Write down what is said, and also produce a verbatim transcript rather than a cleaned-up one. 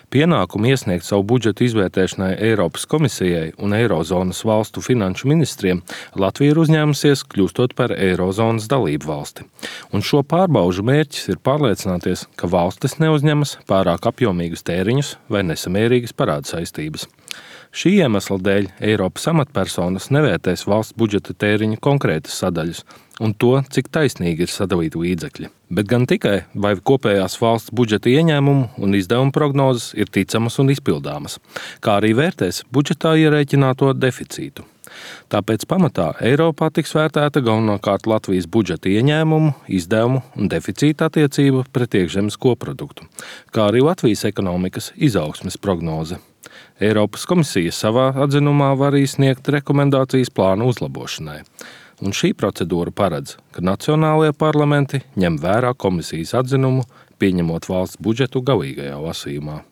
Pienākumu iesniegt savu budžetu izvērtēšanai Eiropas komisijai un Eirozonas valstu finanšu ministriem Latvija ir uzņēmusies, kļūstot par Eirozonas dalību valsti. Un šo pārbaužu mērķis ir pārliecināties, ka valstis neuzņemas pārāk apjomīgus tēriņus vai nesamērīgas parādu saistības. Šī iemesla dēļ Eiropas amatpersonas nevērtēs valsts budžeta tēriņu konkrētas sadaļas un to, cik taisnīgi ir sadalīti līdzekļi, bet gan tikai, vai kopējās valsts budžeta ieņēmumu un izdevumu prognozes ir ticamas un izpildāmas, kā arī vērtēs budžetā ierēķināto deficītu. Tāpēc pamatā Eiropā tiks vērtēta galvenokārt Latvijas budžeta ieņēmumu, izdevumu un deficīta attiecība pret iekšzemes koproduktu, kā arī Latvijas ekonomikas izaugsmes prognoze. Eiropas komisija savā atzinumā var izsniegt rekomendācijas plānu uzlabošanai. Un šī procedūra paredz, ka nacionālajie parlamenti ņem vērā komisijas atzinumu, pieņemot valsts budžetu galīgajā lasījumā.